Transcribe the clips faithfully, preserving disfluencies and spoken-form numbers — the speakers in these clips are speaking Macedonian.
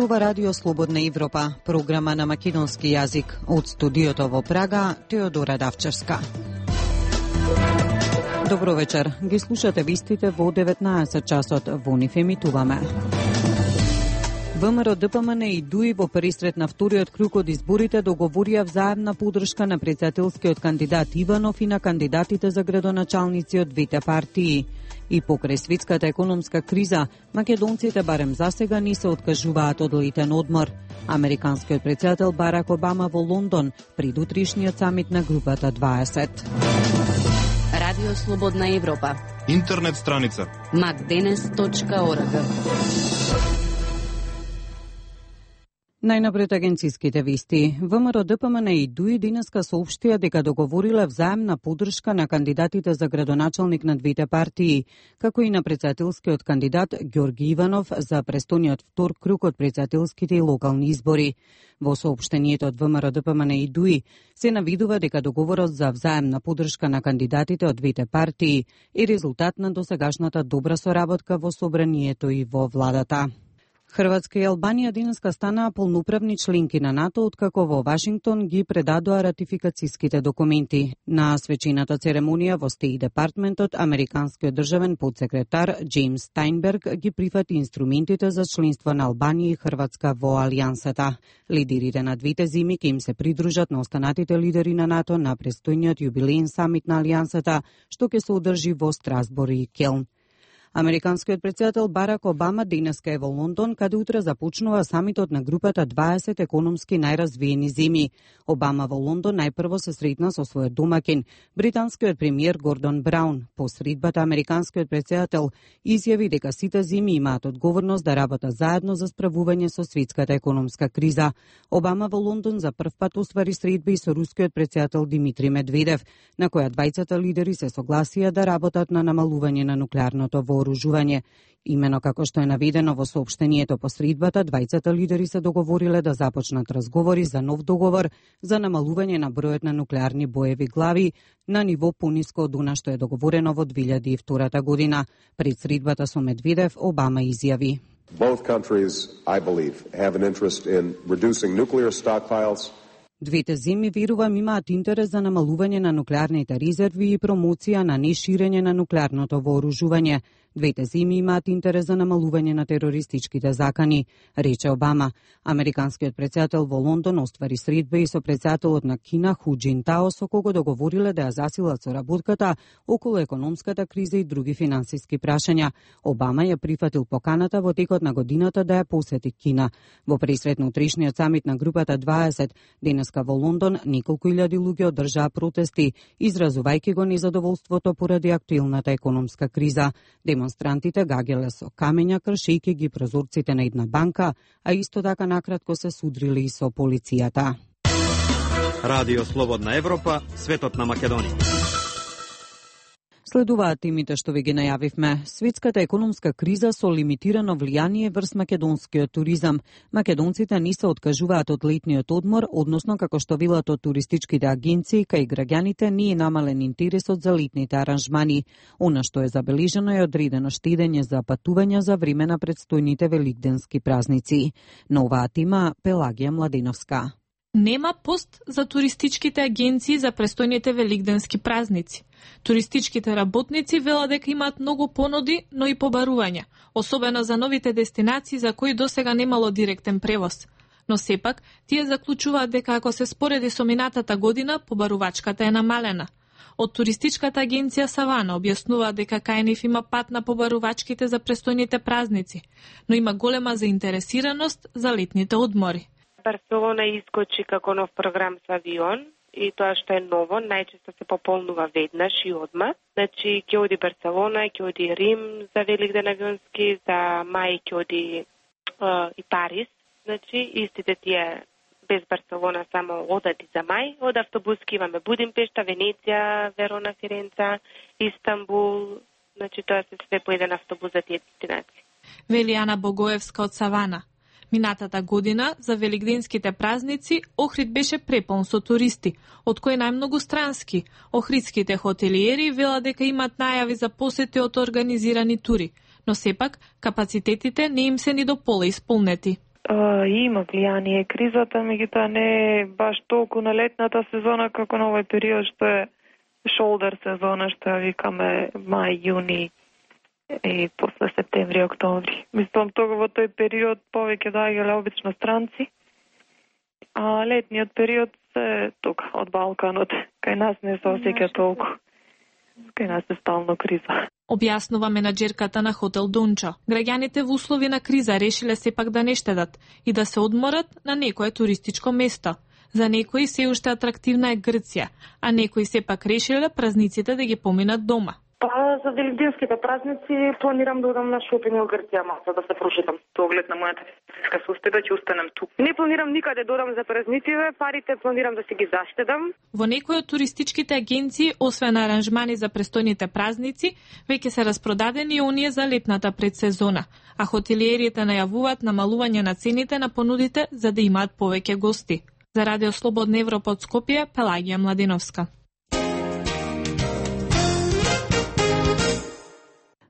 зборува Радио Слободна Европа, програма на македонски јазик. Од студиото во Прага, Теодора Давчевска. Добро вечер. Ги слушате вистите во деветнаесет часот. Во нив емитуваме. ВМРО, ДПМН и ДУИ во перисрет на вториот круг од изборите договорија взаемна поддршка на претседателскиот кандидат Иванов и на кандидатите за градоначалници од двете партии. И покрај светската економска криза, македонците барем засега не се откажуваат од летен одмор. Американскиот претседател Барак Обама во Лондон пред утрешниот самит на групата дваесет. Радио Слободна Европа. Интернет страница макденес точка орг. Најнапред агенциските вести. ВМРО, ДПМН и ДУИ денеска соопштија дека договориле взаемна поддршка на кандидатите за градоначалник на двете партии, како и на претседателскиот кандидат Ѓорги Иванов за престојниот втор круг од претседателските и локални избори. Во соопштението од ВМРО, ДПМН и ДУИ се навидува дека договорот за взаемна поддршка на кандидатите од двете партии е резултат на досегашната добра соработка во собранието и во владата. Хрватска и Албанија денеска станаа полноправни членки на НАТО, откако во Вашингтон ги предадоа ратификацијските документи. На свечената церемонија во Стејт Департментот, американскиот државен подсекретар Џејмс Стајнберг ги прифати инструментите за членство на Албанија и Хрватска во Алијансата. Лидерите на двете земи ќе им се придружат на останатите лидери на НАТО на престојниот јубилеен самит на Алијансата, што ќе се одржи во Страсбур и Келн. Американскиот претседател Барак Обама денеска е во Лондон, каде утре започнува самитот на групата дваесет економски најразвиени земји. Обама во Лондон најпрво се сретна со својот домаќин, британскиот премиер Гордон Браун. По средбата американскиот претседател изјави дека сите земји имаат одговорност да работат заедно за справување со светската економска криза. Обама во Лондон за прв пат оствари средби со рускиот претседател Димитри Медведев, на која двајцата лидери се согласија да работат на намалување на нуклеарното вооружување. Имено како што е наведено во соопштението по средбата, двајцата лидери се договориле да започнат разговори за нов договор за намалување на бројот на нуклеарни боеви глави на ниво пониско од она што е договорено во две илјади и втора година. Пред средбата со Медведев, Обама изјави: Both countries, I believe, have an interest in reducing nuclear stockpiles. Двете земји, верувам, имаат интерес за намалување на нуклеарните резерви и промоција на неширење на нуклеарното вооружување. Двете земји имаат интерес за намалување на терористичките закани, рече Обама. Американскиот претседател во Лондон оствари средба и со претседателот на Кина Ху Џинтао, со кого договориле да ја засилат соработката околу економската криза и други финансиски прашања. Обама ја прифатил поканата во текот на годината да ја посети Кина. Во пресрет на утрешниот самит на групата дваесет, денеска во Лондон, неколку илјади луѓе одржаа протести, изразувајќи го незадоволството поради актуелната економска криза. Демонстрантите гагеле со камења, кршејќи ги прозорците на една банка, а исто така накратко се судрили и со полицијата. Радио Слободна Европа, светот на Македонија. Следуваат темите што ви ги најавивме. Светската економска криза со лимитирано влијание врз македонскиот туризам. Македонците не се откажуваат од летниот одмор, односно како што велат од туристичките агенции, кај граѓаните не е намален интересот за летните аранжмани. Она што е забележено е одредено штедење за патувања за време на предстојните великденски празници. На оваа тема Пелагија Младеновска. Нема пост за туристичките агенции за престојните великденски празници. Туристичките работници велат дека имаат многу понуди, но и побарувања, особено за новите дестинации за кои досега немало директен превоз. Но сепак, тие заклучуваат дека ако се спореди со минатата година, побарувачката е намалена. Од туристичката агенција Савана објаснува дека кај нив има пат на побарувачките за престојните празници, но има голема заинтересираност за летните одмори. Барселона искочи како нов програм со авион и тоа што е ново, најчесто се пополнува веднаш и одма. Значи, ќе оди Барселона, ќе оди Рим за Великден авионски, за мај ќе оди е, и Париз. Значи, истите тие без Барселона само одат и за мај. Од автобуски имаме Будимпешта, Венеција, Верона, Фиренца, Истанбул. Значи, тоа се све по еден автобус за тие дестинации. Вели Ана Богоевска од Савана. Минатата година за великденските празници Охрид беше препон со туристи, од кои најмногу странски. Охридските хотелиери велат дека имат најави за посети од организирани тури, но сепак капацитетите не им се ни до пола исполнети. Uh, има влијание кризата, меѓутоа не е баш толку на летната сезона како на овој период што е шолдер сезона, што ја викаме мај, јуни и после септември, октомври. Мислам, тога во тој период повеќе доаѓале обично странци, а летниот период се тука, од Балканот. Кај нас не се осеќа толку. Кај нас е стално криза. Објаснува менаџерката на хотел Донча. Граѓаните во услови на криза решиле сепак да не штедат и да се одморат на некое туристичко место. За некои се уште атрактивна е Грција, а некои сепак решиле празниците да ги поминат дома. Па за великденските празници планирам да одам на шопинг во Грција малку да се прошетам. Со оглед на мојата физичка состојба ќе останам тук. Не планирам никаде да одам за празниците, парите планирам да си ги заштедам. Во некои од туристичките агенции, освен аранжмани за престојните празници, веќе се распродадени и оние за летната предсезона, а хотелиерите најавуваат намалување на цените на понудите за да имаат повеќе гости. За Радио Слободна Европа од Скопје, Пелагија Младиновска.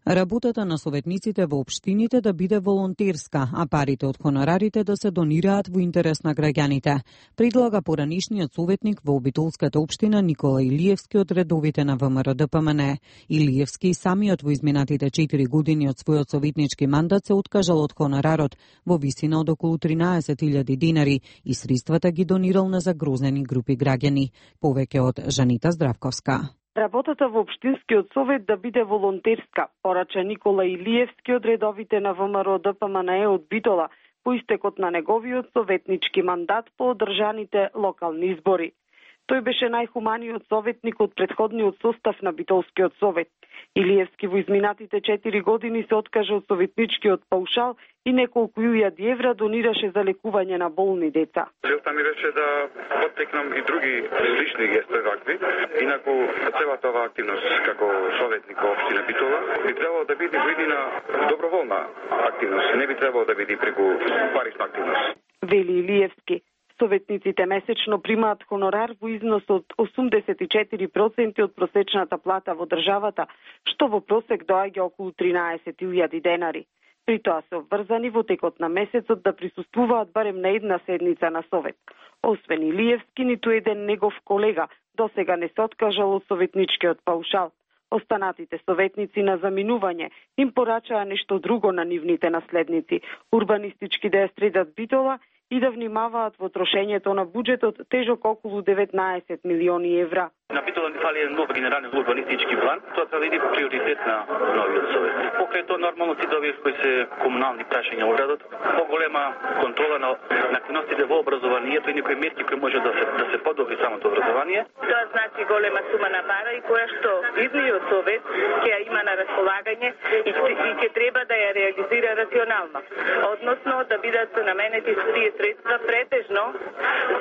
Работата на советниците во општините да биде волонтерска, а парите од хонорарите да се донираат во интерес на граѓаните, предлага поранишниот советник во Обитолската општина Никола Илиевски од редовите на ВМРО-ДПМН. Илиевски самиот во изминатите четири години од својот советнички мандат се откажал од хонорарот во висина од околу тринаесет илјади динари и средствата ги донирал на загрозени групи граѓани. Повеќе од Жанита Здравковска. Работата во Општинскиот совет да биде волонтерска, порача Никола Илиевски од редовите на ВМРО-ДПМН од Битола по истекот на неговиот советнички мандат по одржаните локални избори. Тој беше најхуманиот советник од претходниот состав на Битолскиот совет. Илиевски во изминатите четири години се откажа од советничкиот паушал и неколку илјади евра донираше за лекување на болни деца. Целта ми беше да поттекнам и други лични гестови вакви. Инаку целата оваа активност како советник во општина Битола би требало да биде видина доброволна активност, не би требало да биде преку парична активност. Вели Илиевски. Советниците месечно примаат хонорар во износ од осумдесет и четири проценти од просечната плата во државата, што во просек доаѓа околу тринаесет илјади денари. При тоа се обврзани во текот на месецот да присуствуваат барем на една седница на совет. Освен Илиевски, ниту еден негов колега досега не се откажал од советничкиот паушал. Останатите советници на заминување им порачаа нешто друго на нивните наследници, урбанистички да ја средат Битола и да внимаваат во трошењето на буџетот тежок околу деветнаесет милиони евра. На Битола ни фали еден нов генерален урбанистички план, тоа треба да биде приоритет на новиот совет. Покрај тоа нормално си добиев кои се комунални прашања во градот, поголема контрола на активностите во образованието и некои мерки кои може да се да се подобри самото образование. Тоа значи голема сума на пара и која што идниот совет ќе ја има на располагање и ќе треба да ја реализира рационално, односно да бидат наменети тие средства претежно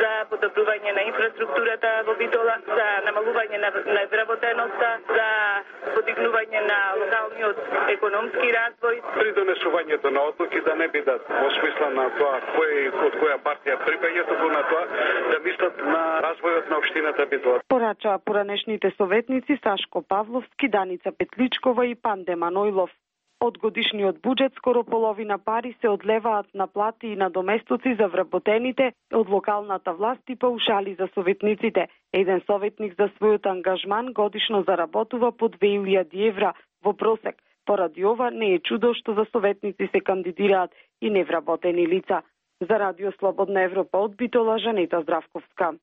за подобрување на инфраструктурата во Битола, за намалување на невработеноста, за подигнување на локалниот економски развој. При донесувањето на одлуки да не бидат во смисла на тоа кој од која партија припаѓа, туку на тоа да мислат на развојот на општината Битола. Порачаа поранешните советници Сашко Павловски, Даница Петличкова и Панде Манойлов. Од годишниот буџет скоро половина пари се одлеваат на плати и на доместоци за вработените од локалната власт и паушали за советниците. Еден советник за својот ангажман годишно заработува по две илјади евра во просек. Поради ова не е чудо што за советници се кандидираат и невработени лица. За Радио Слободна Европа од Битола, Жанета Здравковска.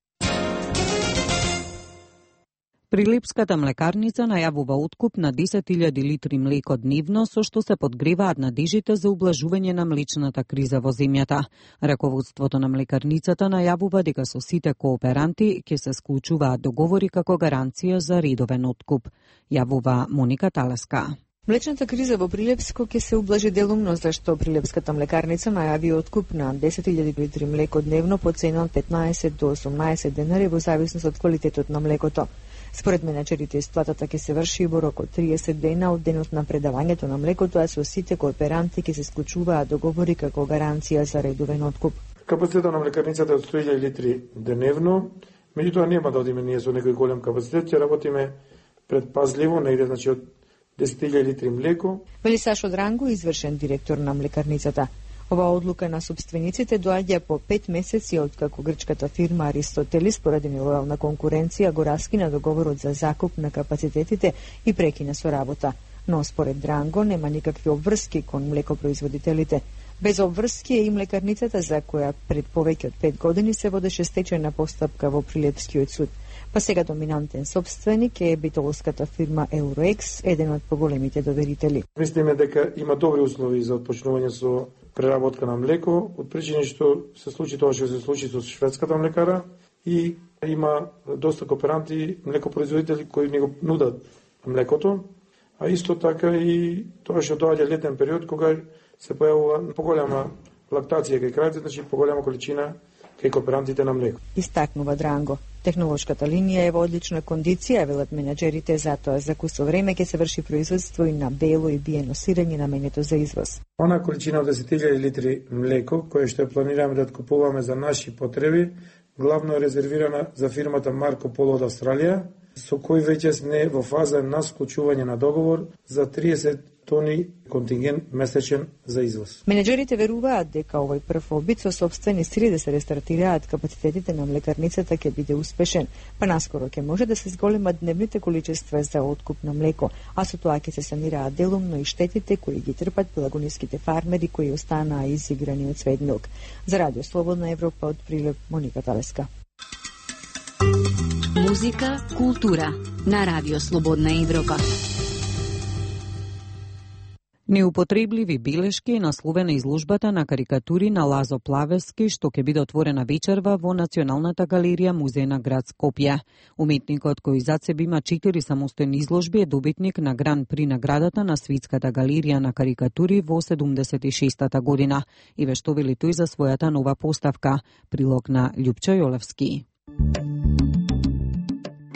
Прилепската млекарница најавува откуп на десет илјади литри млеко дневно, со што се подгреваат надежите за ублажување на млечната криза во земјата. Раководството на млекарницата најавува дека со сите кооперанти ќе се склучуваат договори како гаранција за редовен откуп. Јавува Моника Талеска. Млечната криза во Прилепско ќе се ублажи делумно, зашто Прилепската млекарница најави откуп на десет илјади литри млеко дневно по цена од петнаесет до осумнаесет денари во зависност од квалитетот на млекото. Според менеджерите, исплатата ќе се врши во рок од триесет дена од денот на предавањето на млекото, а со сите кооперанти ќе се склучуваат договори како гаранција за редовен откуп. Капацитетот на млекарницата е од сто илјади литри деневно, меѓутоа нема да одиме ние со некој голем капацитет, ќе работиме предпазливо, негде значи од десет илјади литри млеко. Вели Сашо Дранго, извршен директор на млекарницата. Ова одлука на собствениците доаѓа по пет месеци откако грчката фирма Аристотелис поради нелојална конкуренција го раскина договорот за закуп на капацитетите и прекина со работа. Но според Дранго нема никакви обврски кон млекопроизводителите. Без обврски е и млекарницата за која пред повеќе од пет години се водеше стечајна постапка во Прилепскиот суд. Па сега доминантен собственик е битолската фирма Euroex, еден од поголемите доверители. Мислиме дека има добри услови за отпочнување со преработка на млеко, од причини што се случи тоа што се случи со шведската млекара и има доста кооперанти, млекопроизводители кои ни го нудат млекото, а исто така и тоа што доаѓа летен период кога се појавува поголема лактација кај крајците, значи поголема количина кај кооперантите на млеко. Истакнува Дранго. Технолошката линија е во одлична кондиција, велат менаџерите, затоа за кусо време ќе се врши производство и на бело и биено сирење наменето за извоз. Она количина од десет илјади литри млеко, која што ја планираме да откупуваме за наши потреби, главно е резервирана за фирмата Марко Поло од Австралија, со кој веќе сме во фаза на склучување на договор за триесет тони контингент месечен за извоз. Менеджерите веруваат дека овој прв обид со собствени сили да се рестартираат капацитетите на млекарницата ќе биде успешен, па наскоро ќе може да се зголемат дневните количества за откуп на млеко, а со тоа ќе се санираат делумно и штетите кои ги трпат пелагониските фармери кои останаа изиграни од сведмилк. За Радио Слободна Европа од Прилеп, Моника Талеска. Музика, култура на Радио Слободна Европа. Неупотребливи белешки е насловена изложбата на карикатури на Лазо Плавевски, што ќе биде отворена вечерва во Националната галерија Музеј на град Скопје. Уметникот кој зад себе има четири самостојни изложби е добитник на Гран При наградата на Свитската галерија на карикатури во седумдесет и шестата година и вештовили тој за својата нова поставка. Прилог на Љупчо Јолевски.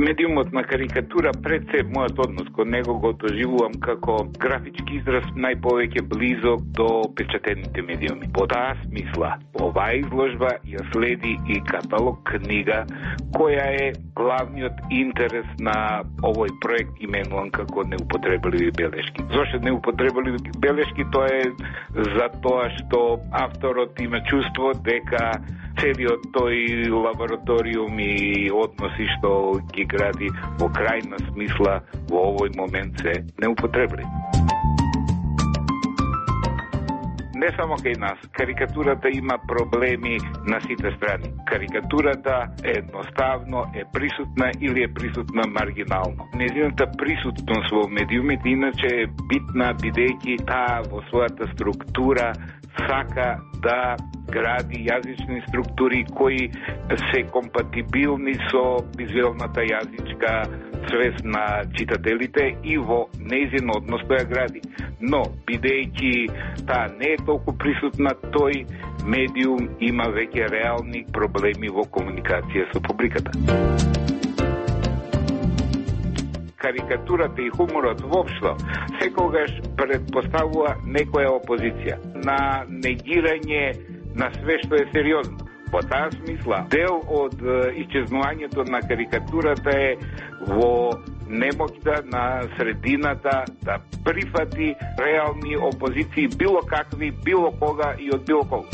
Медиумот на карикатура пред се мојот однос кон него го доживувам како графички израз најповеќе близок до печатените медиуми. По таа смисла, оваа изложба ја следи и каталог книга која е главниот интерес на овој проект именуван како неупотребливи белешки. Зошто неупотребливи белешки? Тоа е за тоа што авторот има чувство дека целиот тој лабораториум и односи што ги гради во крајна смисла во овој момент се неупотребливи. Не само кај нас, карикатурата има проблеми на сите страни. Карикатурата едноставно е присутна или е присутна маргинално. Незината присутност во медиумите иначе е битна, бидејќи таа во својата структура сака да гради јазични структури кои се компатибилни со визуелната јазичка свест на читателите и во нејзин однос тоа гради. Но, бидејќи таа не е толку присутна, тој медиум има веќе реални проблеми во комуникација со публиката. Карикатурата и хуморот воопшто секогаш предпоставува некоја опозиција на негирање на све што е сериозно. По таа смисла, дел од исчезнувањето на карикатурата е во немоќта на средината да прифати реални опозиции, било какви, било кога и од било кога.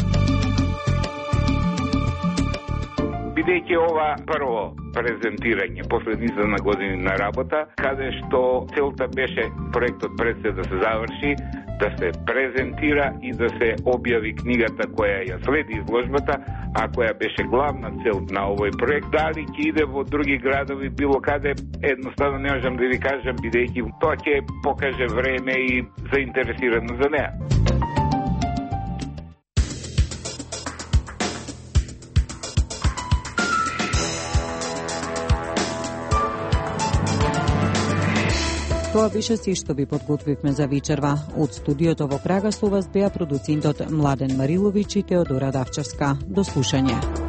Бидејќи ова прво презентирање после низа на години на работа, каде што целта беше проектот пред се да се заврши, да се презентира и да се објави книгата која ја следи изложбата, а која беше главна цел на овој проект. Дали ќе иде во други градови, било каде, едноставно не можам да ви кажам, бидејќи тоа ќе покаже време и заинтересирано за неа. Тоа беше се што ви подготвивме за вечерва. Од студиото во Прага со вас беа продуцентот Младен Мариловиќ и Теодора Давчевска. До слушање.